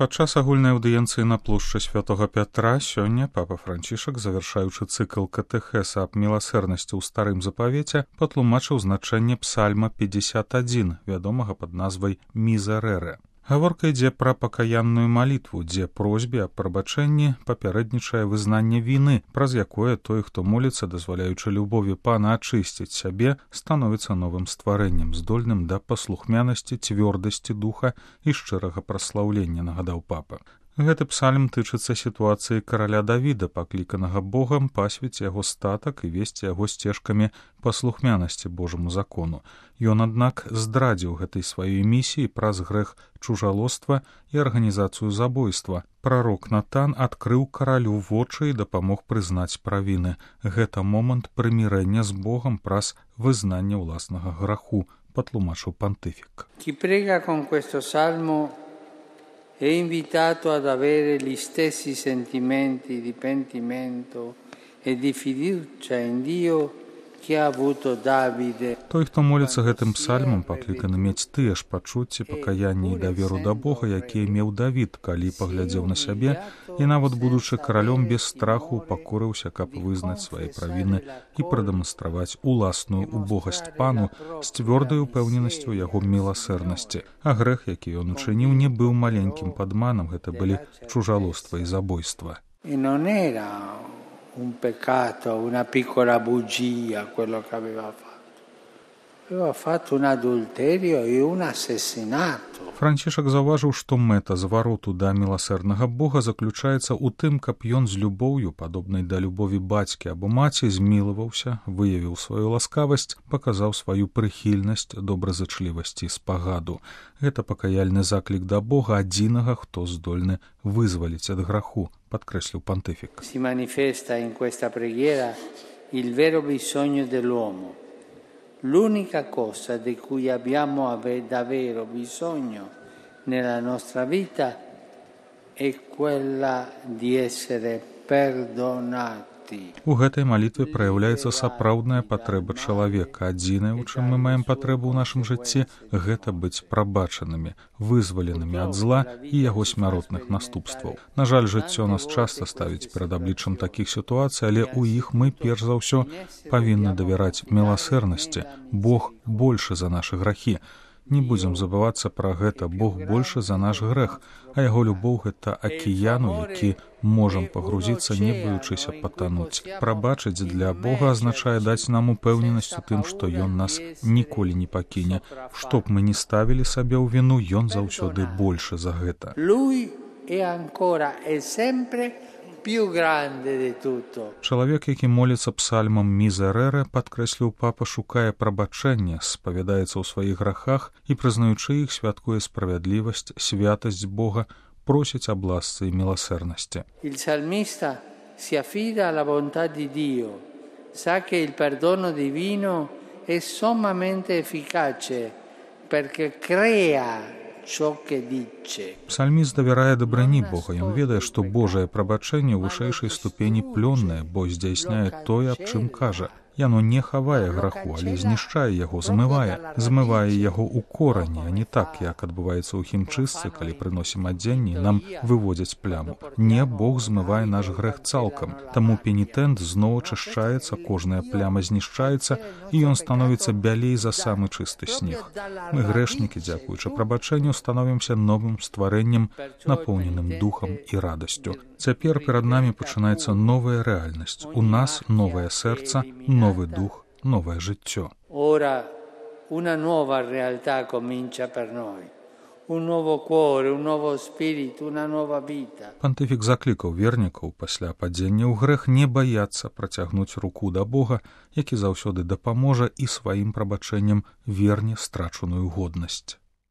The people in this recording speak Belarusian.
Падчас агульнай аўдыенцыі на плошчы Святога Пятра сёння папа Францішак, завяршаючы цыкл катэхеса аб міласэрнасці ў старым запавеце, патлумачыў значэнне псальма 51, вядомага пад назвай «Мізерэре». Гаворка ідзе пра пакаянную малітву, дзе просьбе аб прабачэнні папярэднічае вызнанне віны, праз якое той, хто моліцца, дазваляючы любові Пана ачысціць сябе, становіцца новым стварэннем, здольным да паслухмянасці, цвёрдасці духа і шчырага праслаўлення, нагадаў папа. Гэты псальм тычыцца сітуацыі караля Давіда, пакліканага Богам пасвіць яго статак і весці яго сцежкамі паслухмянасці Божаму закону. Ён, аднак, здрадзіў гэтай сваёй місіі праз грэх чужалоства і арганізацыю забойства. Прарок Натан адкрыў каралю вочы і дапамог прызнаць правіны. Гэта момант прымірэння з Богам праз вызнанне ўласнага граху, патлумачыў пантыфік. Chi prega con questo salmo è invitato ad avere gli stessi sentimenti di pentimento e di fiducia in Dio che ha avuto Davide. Той, хто моліцца гэтым псальмам, пакліканы мець тыя ж пачуцці пакаяння і даверу да Бога, якія меў Давід, калі паглядзеў на сябе, і нават будучы каралём без страху упакорыўся, каб вызнаць свае правіны і прадэманстраваць уласную убогасць Пану з цвёрдай упэўненасцю яго міласэрнасці. А грэх, які ён учыніў, не быў маленькім падманам, гэта былі чужалоства і забойства. Un peccato, una piccola bugia quello che aveva fatto. Aveva fatto un adulterio e un assassinato. Францішак заўважыў, што мэта звароту да міласэрнага Бога заключаецца ў тым, каб ён з любоўю, падобнай да любові бацькі або маці, змілаваўся, выявіў сваю ласкавасць, паказаў сваю прыхільнасць, добразычлівасць і спагаду. Гэта пакаяльны заклік да Бога адзінага, хто здольны вызваліць ад граху, падкрэсліў пантыфік. Si manifesta in questa preghiera il vero bisogno dell'uomo. L'unica cosa di cui abbiamo davvero bisogno nella nostra vita è quella di essere perdonati. У гэтай малітве праяўляецца сапраўдная патрэба чалавека. Адзінае, у чым мы маем патрэбу ў нашым жыцці, гэта быць прабачанымі, вызваленымі ад зла і яго смяротных наступстваў. На жаль, жыццё нас часта ставіць перад абліччам такіх сітуацый, але ў іх мы, перш за ўсё, павінны давяраць міласэрнасці. Бог большы за нашы грахі. Не будзем забывацца пра гэта. Бог большы за наш грэх, а яго любоў — гэта акіян, у які можам пагрузіцца, не баючыся патануць. Прабачыць для Бога азначае даць нам упэўненасць у тым, што Ён нас ніколі не пакіне. Што б мы ні ставілі сабе ў віну, Ён заўсёды большы за гэта. Чалавек, які моліцца псальмам «Мізерэре», падкрэсліў папа, шукае прабачэння, спавядаецца ў сваіх грахах і, прызнаючы іх, святкуе справядлівасць, святасць Бога, просіць аб ласцы і міласэрнасці. Il salmista si affida alla bontà di Dio, sa che il perdono divino è sommamente efficace perché crea Псальміст давярае дабрані Бога. Ён ведае, што Божае прабачэнне ў вышэйшай ступені плённае, бо здзяйсняе тое, аб чым кажа. Яно не хавае граху, але знішчае яго, змывае яго ў корані, а не так, як адбываецца ў хімчыстцы, калі прыносім адзенне, нам выводзяць пляму. Не, Бог змывае наш грэх цалкам. Таму пенітэнт зноў ачышчаецца, кожная пляма знішчаецца, і ён становіцца бялей за самы чысты снег. Мы, грэшнікі, дзякуючы прабачэнню, становімся новым стварэннем, напоўненым духам і радасцю. Цяпер перад намі пачынаецца новая рэальнасць. У нас новае сэрца, новый дух, новое жыццё. Ora una nuova realtà comincia per noi. Un nuovo cuore, un nuovo spirito, una nuova vita. Пантыфік заклікаў вернікаў пасля падзення ў грэх не баяцца працягнуць руку да Бога, які заўсёды дапаможа і сваім прабачэннем верне страчаную годнасць.